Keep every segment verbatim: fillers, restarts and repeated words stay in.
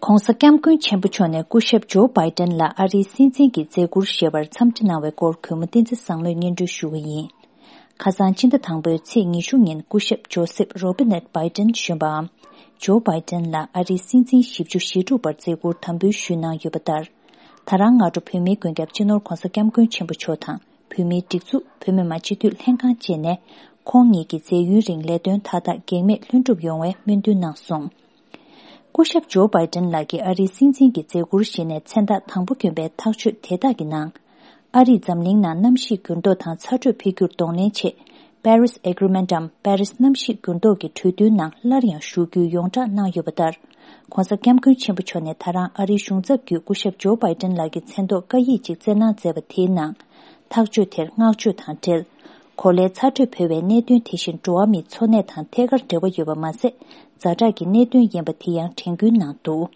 ༧གོང་ས་༧སྐྱབས་མགོན་ཆེན་པོ་མཆོག་ནས་སྐུ་ཞབས་ཇོ་བྷའི་ཏན་ལ་ཨ་རིའི་སྲིད་འཛིན་གྱི་མཛད་ཁུར་བཞེས་པར་འཚམས་འདྲི་གནང་བའི་སྐོར་གུས་མོ་བསྟན་འཛིན་བཟང་མོས་སྙན་སྒྲོན་ཞུ་གི་ཡིན། ཁ་སང་ཕྱི་ཟླ་དང་པོའི་ཚེས་ཉི་ཤུ་ཉིན་སྐུ་ཞབས་ཇོ་སེབ་རོ་བི་ནེཊ་བྷའི་ཏན་གཞོན་པའམ་ཇོ་བྷའི་ཏན་ལ་ཨ་རིའི་སྲིད་འཛིན་བཞི་བཅུ་ཞེ་དྲུག་པར་མཛད་ཁུར་དམ་འབུལ་ཞུས་གནང་ཡོད་པ་ལྟར། ད་རང་སྔ་དྲོ་བོད་མིའི་མགོན་སྐྱབས་སྤྱི་ནོར་༧གོང་ས་༧སྐྱབས་མགོན་ཆེན་པོ་མཆོག་དང་བོད་མིའི་སྒྲིག་འཛུགས་བོད་མི་མང་སྤྱི་འཐུས་ལྷན་ཁང་བཅས་ནས་ཁོང་ཉིད་ཀྱི་མཛད་ཡུན་རིང་ལས་དོན་མཐའ་དག་གེགས་མེད་ལྷུན་གྲུབ་ཡོང་བའི་སྨོན་འདུན་གནང་སོང་། སྐུ་ཞབས་ཇོ་བྷའི་ཏན་ལགས་ཀྱིས་ཨ་རིའི་སྲིད་འཛིན་གྱི་མཛད་ཁུར་བཞེས་ནས་མཚན་རྟགས་དང་པོ་བསྐྱོན་པའི་ཐག་གཅོད་དེ་དག་གི་ནང་། ཨ་རིས་འཛམ་གླིང་ནང་གནམ་གཤིས་འགྱུར་ལྡོག་དང་ཚ་དྲོད་འཕེལ་འགྱུར་གདོང་ལེན་ཆེད་Paris Agreement་འམ་Paris་གནམ་གཤིས་འགྱུར་ལྡོག་གི་གྲོས་མཐུན་ནང་སླར་ཡང་ཞུགས་རྒྱུའི་ཡོངས་བསྒྲགས་གནང་ཡོད་པ་ལྟར། ༸གོང་ས་༸སྐྱབས་མགོན་ཆེན་པོ་མཆོག་ནས་ད་རང་ཨ་རིའི་གཞུང་ཚབ་བརྒྱུད་སྐུ་ཞབས་ཇོ་བྷའི་ཏན་ལགས་ཀྱི་མཚན་ཐོག་བཀའ་ཡིག་ཅིག་བསྩལ་གནང་མཛད་པ་དེའི་ནང་། ཐག་གཅོད་དེར་བསྔགས་བརྗོད་དང་འབྲེལ། གོ་ལའི་ཚ་དྲོད་འཕེལ་བའི་གནད་དོན་དེ་བཞིན་འགྲོ་བ་མིའི་འཚོ་གནས་དང་ཐད་ཀར་འབྲེལ་བ་ཡོད་པ་མ་ཟད། ཛ་དྲག་གི་གནད་དོན་ཡིན་པ་དེ་ཡང་དྲན་སྐུལ་གནང་འདུག།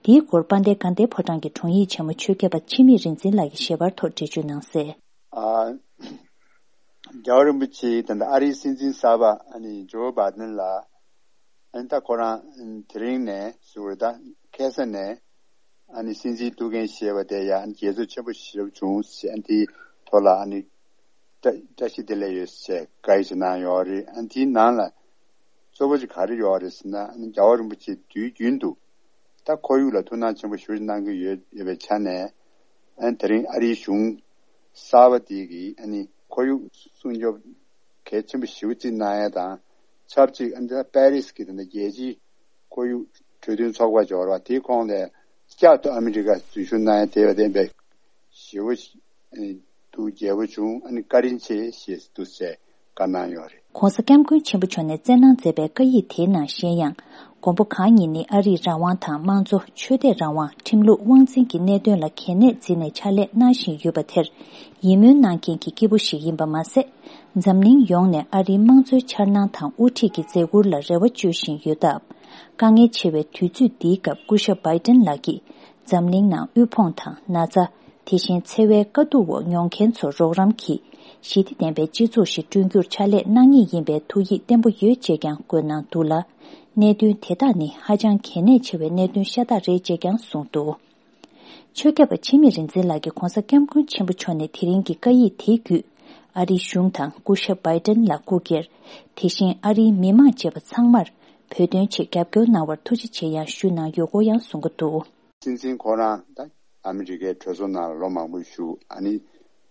དེའི་སྐོར་དཔལ་ལྡན་དགའ་ལྡན་ཕོ་བྲང་གི་དྲུང་ཡིག་ཆེན་མོ་ཆོས་སྐྱབས་པ་འཆི་མེད་རིག་འཛིན་ལགས་ཀྱིས་ཞལ་པར་ཐོག་འགྲེལ་བརྗོད་གནང་གསལ། ཨ། རྒྱལ་བ་རིན་པོ་ཆེ་ད་ལྟ་ཨ་རིའི་སྲིད་འཛིན་གསར་པ་ཨ་ནི་ཇོ་བྷའི་ཏན་ལགས་ཨ་ནི་ད་ཁོ་རང་དེ་རིང་ནས་ཟུར་ད་ཁ་སང་ནས་ཨ་ནི་སྲིད་འཛིན་ཐུགས་འགན་བཞེས་པ་དེ་ཡང་ཨ་ནི་དགྱེས་ཚོར་ཆེན་པོ་ཞེ་པོ་བྱུང་ཞེས་ཨ་ནི་དེའི་ཐོག་ལ་ཨ་ནི་བཀྲ་བཀྲ་ཤིས་བདེ་ལེགས་ཡོད་ཞེས་བཀའ་ཡིག་ཅིག་གནང་ཡོད་རེད། ཨ་ནི་དེའི་ནང་ལ་གཙོ་བོ་ཅིག་ག་རེ་ཡོད་རེད་ཟེར་ན་ཨ་ནི་རྒྱལ་བ་རིན་པོ་ཆེ་དུས་རྒྱུན་དུ་ད་ཁོར་ཡུག་ལ་ཐུགས་སྣང་ཆེན་པོ་ཞེ་པོ་ཅིག་གནང་གི་ཡོད་ཡོད་པའི་ཆ་ནས། ཨ་ནི་དེ་རིང་ཨ་རིའི་གཞུང་གསར་པ་དེ་གིས་ཨ་ནི་ཁོར་ཡུག་སྲུང་སྐྱོབ་གལ་ཆེན་པོ་ཞེ་པོ་ཅིག་གནང་ཡ་དང་ཆབས་ཅིག་ཨ་ནི་ད་པེ་རིས་ཀྱི་ད་ལྟ་རྒྱལ་སྤྱིའི་ཁོར་ཡུག་གྲོས་མཐུན་ཚོགས་པ་འབྱོར་བ་དེའི་ཁོངས་ནས་བསྐྱར་དུ་ཨ་མི་རི་ཀ་འཛུལ་ཞུགས་གནང་ཡ་དེ་བ་བདེན་པའི་ཞེ་པོ་ཨ་ནི་ཐུགས་དགྱེས་པོ་བྱུང་ཨ་ནི་བཀའ་དྲིན་ཆེ་ཞེས་འདུག་ཟེར་བཀའ་གནང་ཡོད་རེད། ༸གོང་ས་༸སྐྱབས་མགོན་ཆེན་པོ་མཆོག་ནས་བསྩལ་གནང་མཛད་པའི་བཀའ་ཡིག་དེའི་ནང་གཞན་ཡང་། མགོན་པོ་གང་ཉིད་ནི་ཨ་རིའི་རང་དབང་དང་དམངས་གཙོ་ཆོས་དད་རང་དབང་ཁྲིམས་ལུགས་དབང་འཛིན་གྱི་གནད་དོན་ལ་གལ་གནད་འཛིན་ནས་ཕྱག་ལས་གནང་བཞིན་ཡོད་པ་དེར་ཡིད་སྨོན་གནང་མཁན་གྱི་སྐྱེས་བུ་ཞིག་ཡིན་པ་མ་ཟད། འཛམ་གླིང་ཡོངས་ནས་ཨ་རིའི་དམངས་གཙོའི་འཆར་སྣང་དང་དབུ་ཁྲིད་ཀྱི་མཛད་ཁུར་ལ་རེ་བ་བཅོལ་བཞིན་ཡོད་སྟབས། དཀའ་ངལ་ཆེ་བའི་དུས་ཚོད་འདིའི་སྐབས་སྐུ་ཞབས་བྷའི་ཏན་ལགས་ཀྱིས་འཛམ་གླིང་ནང་དབུལ་ཕོངས་དང་ན་ཚ། དེ་བཞིན་འཚེ་བའི་དཀའ་སྡུག་འོག་མྱོང་མཁན་ཚོར་རོགས་རམ་གྱིས་ཞི་བདེ་ལྡན་པའི་སྤྱི་ཚོགས་ཤིག་བསྐྲུན་རྒྱུར་ཕྱག་ལས་གནང་ངེས་ཡིན་པའི་ཐུགས་ཡིད་བརྟན་པོ་ཡོད་ཅེས་ཀྱང་བཀོད་གནང་འདུག་ལ། གནད་དོན་དེ་དག་ནི་ཧ་ཅང་གལ་གནད་ཆེ་བའི་གནད་དོན་ཤ་སྟག་རེད་ཅེས་ཀྱང་གསུངས་འདུག། ཆོས་སྐྱབས་པ་འཆི་མེད་རིག་འཛིན་ལགས་ཀྱིས་༸གོང་ས་༸སྐྱབས་མགོན་ཆེན་པོ་མཆོག་ནས་དེ་རིང་གི་བཀའ་ཡིག་དེའི་བརྒྱུད། ཨ་རིའི་གཞུང་དང་སྐུ་ཞབས་བྷའི་ཏན་ལ་སྐུ་སྒེར། དེ་བཞིན་ཨ་རིའི་མི་མང་བཅས་པ་ཚང་མར་བོད་དོན་ཆེད་རྒྱབ་སྐྱོར་གནང་བར་ཐུགས་རྗེ་ཆེ་ཡང་ཞུས་གནང་ཡོད་སྐོར་ཡང་གསུང་གི་འདུག། སྲིད་འཛིན་ཁོ་རང་ད་ཨ་མི་རི་ཀའི་གྲོས་ཚོགས་ནང་ལ་ལོ་མང་པོ་བཞུགས། ཨ་ནི་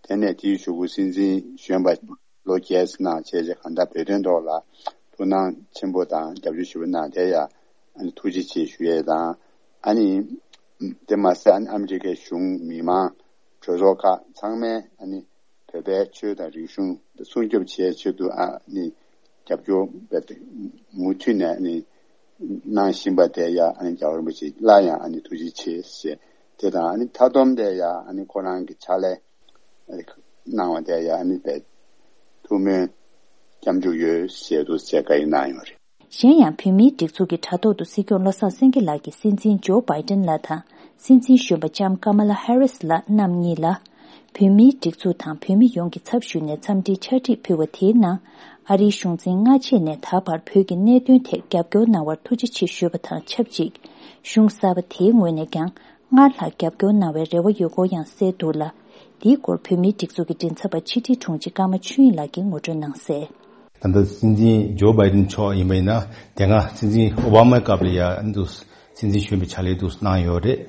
དེ་ནས་དེའི་གཞུག་གུ་སྲིད་འཛིན་གཞོན་པ་ལོ་བརྒྱད་ཙམ་གནང་བྱས་རྗེས་གང་ལྟར་བོད་དོན་ཐོག་ལ་ཐུགས་སྣང་ཆེན་པོ་དང་རྒྱབ་སྐྱོར་ཞེ་པོ་གནང་། དེ་ཡང་ཨ་ནི་ཐུགས་རྗེ་ཆེ་ཞུ་ཡས་དང་། ཨ་ནི་དེ་མ་ཟད་ཨ་ནི་ཨ་མི་རི་ཀའི་གཞུང་མི་མང་གྲོས་ཚོགས་ཁག་ཚང་མས་ཨ་ནི་བོད་པའི་ཆོས་དང་རིག་གཞུང་སྲུང་སྐྱོབ་བྱེད་ཆེད་དུ་ཨ་ནི་རྒྱབ་སྐྱོར་མུ་མཐུད་ནས་ཨ་ནི་གནང་བཞིན་པ་དེ་ཡང་ཨ་ནི་རྒྱལ་བ་རིན་པོ་ཆེ་སླར་ཡང་ཨ་ནི་ཐུགས་རྗེ་ཆེ་ཞེས་དེ་དང་ཨ་ནི་མཐའ་སྡོམ་དེ་ཡང་ཨ་ནི་ཁོ་རང་གི་ཕྱག་ལས་གནང་བ་དེ་ཡང་ཨ་ནི་དཔེ་ཐུགས་སྨོན་སྐྱབས་འཇུག་ཡོད་ཞེས་དུ་ཞེས་བཀའ་ཡིག་གནང་ཡོད་རེད། གཞན་ཡང་བོད་མིའི་སྒྲིག་འཛུགས་ཀྱི་དྲ་ཐོག་ཏུ་སྲིད་སྐྱོང་བློ་བཟང་སེང་གེ་ལགས་ཀྱིས་སྲིད་འཛིན་ཇོ་བྷའི་ཏན་ལགས་དང་སྲིད་འཛིན་གཞོན་པ་ལྕམ་ཀ་མ་ལ་ཧེ་རིས་ལགས་རྣམ་གཉིས་ལ། བོད་མིའི་སྒྲིག་འཛུགས་དང་བོད་མི་ཡོངས་ཀྱི་ཚབ་ཞུས་ནས་འཚམས་འདྲིའི་ཕྱག་བྲིས་ཕུལ་བ་དེའི་ནང་། ཨ་རིའི་གཞུང་འཛིན་སྔ་རྗེས་ནས་ད་བར་བོད་ཀྱི་གནད་དོན་ཐད་རྒྱབ་སྐྱོར་གནང་བར་ཐུགས་རྗེ་ཆེ་ཞུས་པ་དང་ཆབས་ཅིག་གཞུང་གསར་པ་དེའི་ངོས་ནས་ཀྱང་སྔར་ལྷག་རྒྱབ་སྐྱོར་གནང་བའི་རེ་བ་ཡོད་སྐོར་ཡང་གསལ་འདུག་ལ། འདིའི་སྐོར་བོད་མིའི་སྒྲིག་འཛུགས་ཀྱི་མགྲིན་ཚབ་པ་ཕྱི་དྲིལ་དྲུང་ཆེ་ཀརྨ་ཆོས་དབྱིངས་ལགས་ཀྱིས་ངོ་སྤྲོད་གནང་གསལ། ད་ལྟ་སྲིད་འཛིན་ཇོ་བྷའི་ཏན་མཆོག་ཡིན་པ་ཡིན་ན་དེ་སྔ་སྲིད་འཛིན་ཨོ་བྷ་མའི་སྐབས་ལ་ཡ་འདུག། སྲིད་འཛིན་གཞོན་པའི་ཕྱག་ལས་འདུག་གནང་ཡོད་རེད།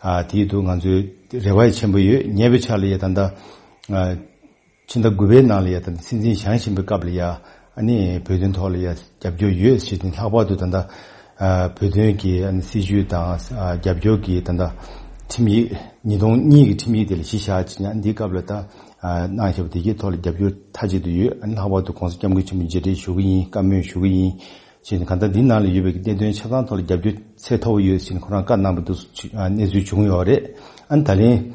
ཨ་དེའི་འདུག་ང་ཚོའི་རེ་བ་ཆེན་པོ་ཡོད། ཉེ་བའི་ཆར་ལ་ཡ་ད་ལྟ་ཨ་ཕྱི་ཟླ་དགུ་པའི་ནང་ལ་ཡ་ད་ལྟ་སྲིད་འཛིན་བཞེངས་བཞིན་པའི་སྐབས་ལ་ཡ་ཨ་ནི་བོད་དོན་ཐོག་ལ་ཡ་རྒྱབ་སྐྱོར་ཡོད་ཞེས་ནས་ལྷག་པར་དུ་ད་ལྟ་ཨ་བོད་དོན་གྱི་ཨ་ནི་སྲིད་བྱུས་དང་ཨ་རྒྱབ་སྐྱོར་གྱི་ད་ལྟ་ཁྲིམས་ཡིག་ཉིས་སྟོང་གཉིས་ཀྱི་ཁྲིམས་ཡིག་དེ་ལ་གཞི་བཞག་ཅིག་ཡང་འདིའི་སྐབས་ལ་ད་ཨ་གནང་བཞག་པ་དེ་གའི་ཐོག་ལ་རྒྱབ་སྐྱོར་མཐའ་གཅིག་ཏུ་ཡོད། ཨ་ནི་ལྷག་པར་དུ་༸གོང་ས་༸སྐྱབས་མགོན་ཆེན་པོ་མཇལ་འཕྲད་ཞུ་གི་ཡིན། བཀའ་མོལ་ཞུ་གི་ཡིན་ཞེས་ནས་གང་ལྟར་འདི་ནང་ལ་ཡོད་པའི་གནད་དོན་ཆ་ཚང་ཐོག་ལ་རྒྱབ་སྐྱོར་ཚད་མཐོ་པོ་ཡོད་ཞེས་ནས་ཁོ་རང་བཀའ་གནང་བ་འདུག་གནས་ཚུལ་བྱུང་ཡོད་རེད། ཨ་ནི་ད་ལན་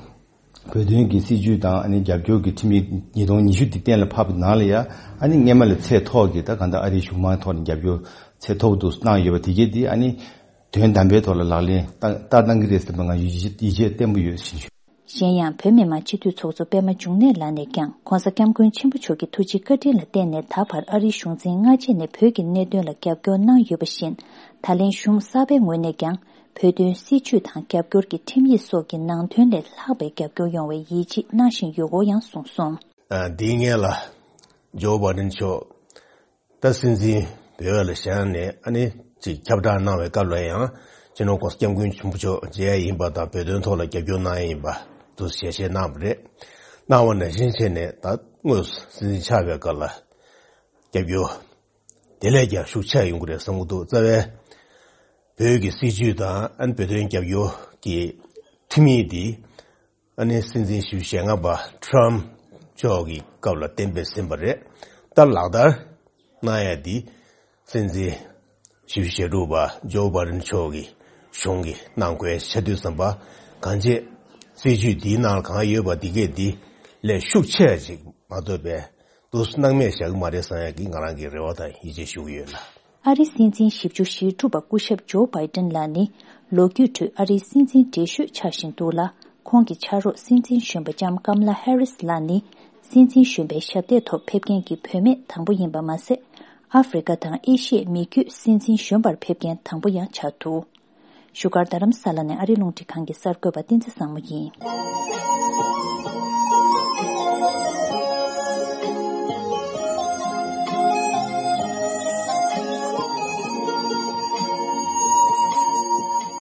བོད་དོན་གྱི་སྲིད་བྱུས་དང་ཨ་ནི་རྒྱབ་སྐྱོར་གྱི་ཁྲིམས་ཡིག་ཉིས་སྟོང་ཉི་ཤུ་འདི་གཏན་ལ་ཕབ་པའི་ནང་ལ་ཡ་ཨ་ནི་སྔས་མ་ལས་ཚད་མཐོ་གི་ད་གང་ལྟར་ཨ་རིའི་གཞུང་མང་ཐོག་ནས་རྒྱབ་སྐྱོར་ཚད་མཐོ་པོ་འདུག་གནང་ཡོད་པ་དེ་གས་འདི་ཨ་ནི་དོན་དམ་པའི་ཐོག་ལ་ལག་ལེན་བསྟར་བསྟར་གནང་གི་རེད་ཟེར་བ་ང་ཡིད་ཆེས་ཡིད་ཆེས་བརྟན་པོ་ཡོད་ཞེས་ཞུ། གཞན་ཡང་བོད་མི་མང་སྤྱི་འཐུས་ཚོགས་གཙོ་པད་མ་འབྱུང་གནས་ལགས་ནས་ཀྱང་༸གོང་ས་༸སྐྱབས་མགོན་ཆེན་པོ་མཆོག་གི་ཐུགས་རྗེ་བཀའ་དྲིན་ལ་བརྟེན་ནས་ད་བར་ཨ་རིའི་གཞུང་འཛིན་སྔ་རྗེས་ནས་བོད་ཀྱི་གནད་དོན་ལ་རྒྱབ་སྐྱོར་གནང་ཡོད་པ་བཞིན། ད་ལན་གཞུང་གསར་པའི་ངོས་ནས་ཀྱང་ བོད་དོན་སྲིད་བྱུས་དང་རྒྱབ་སྐྱོར་གྱི་ཁྲིམས་ཡིག་སོགས་ཀྱི་ནང་དོན་ལས་ལྷག་པའི་རྒྱབ་སྐྱོར་ཡོང་བའི་ཡིད་ཆེས་གནང་བཞིན་ཡོད་སྐོར་ཡང་གསུངས་སོང་། ཨ། འདིའི་སྔོན་ལ་ཇོ་བྷའི་ཌེན་མཆོག་ད་སྲིད་འཛིན་བོད་ལ་བཞེངས་ནས་ཨ་ནི་ཅིག་ཁྱབ་བསྒྲགས་གནང་བའི་སྐབས་ལ་ཡང་སྤྱི་ནོར་༸གོང་ས་༸སྐྱབས་མགོན་ཆེན་པོ་མཆོག་མཇལ་ཡ་ཡིན་པ་དང་བོད་དོན་ཐོག་ལ་རྒྱབ་སྐྱོར་གནང་ཡ་ཡིན་པ་འདུག་ཞལ་བཞེས་གནང་བ་རེད། གནང་བ་ནང་བཞིན་བྱས་ནས་ད་དངོས་སུ་སྲིད་འཛིན་ཆགས་པའི་སྐབས་ལ་རྒྱབ་སྐྱོར་དེ་ལས་ཀྱང་ཤུགས་ཆེ་ཡོང་གི་རེད་བསམ་གྱི་འདུག་རྩ་བའི་བོད་ཀྱི་སྲིད་བྱུས་དང་ཨ་ནི་བོད་དོན་རྒྱབ་སྐྱོར་གྱི་ཁྲིམས་ཡིག་འདི་ཨ་ནི་སྲིད་འཛིན་བཞི་བཅུ་ཞེ་ལྔ་པ་ཊམ་མཆོག་གི་སྐབས་ལ་གཏན་འབེབས་ཟིན་པ་རེད། ད་ལག་བསྟར་གནང་ཡ་འདི་སྲིད་འཛིན་བཞི་བཅུ་ཞེ་དྲུག་པ་ཇོ་བྷའི་ཌེན་མཆོག་གི་གཞུང་གི་གནང་དགོས་ཆགས་དུས་ཙམ་པ་གང་ཅི་སྲིད་བྱུས་འདིའི་ནང་ལ་གང་ཡོད་པ་འདི་གས་འདི་ལས་ཤུགས་ཆེ་ཅིག་མ་ཐོབ་པའི་འདུག་སྣང་མེད་བཞག་གི་མ་རེད་བསམ་ཡ་གི་ང་རང་གི་རེ་བ་དང་ཡིད་ཆེས་ཞུ་གི་ཡོད་ལ། ཨ་རིའི་སྲིད་འཛིན་བཞི་བཅུ་ཞེ་དྲུག་པ་སྐུ་ཞབས་ཇོ་བྷའི་ཌེན་ལགས་ནི་ལོ་རྒྱུས་ཁྲོད་ཨ་རིའི་སྲིད་འཛིན་བགྲེས་ཤོས་ཆགས་བཞིན་འདུག་ལ། ཁོང་གི་ཕྱག་རོགས་སྲིད་འཛིན་གཞོན་པ་ལྕམ་ཀམ་ལ་ཧེ་རིས་ལགས་ནི་སྲིད་འཛིན་གཞོན་པའི་ཞབས་སྟེགས་ཐོག་ཕེབས་མཁན་གྱི་བུད་མེད་དང་པོ་ཡིན་པ་མ་ཟད། ཨ་ཧྥེ་རི་ཀ་དང་ཨེ་ཤི་ཡའི་མི་རྒྱུད་སྲིད་འཛིན་གཞོན་པར་ཕེབས་མཁན་དང་པོ་ཡང་ཆགས་འདུག་བཞུགས་སྒར་རྡ་རམ་ས་ལ་ནས་ཨ་རིའི་རླུང་འཕྲིན་ཁང་གི་གསར་འགོད་པ་བསྟན་འཛིན་བཟང་མོ་ཡིན།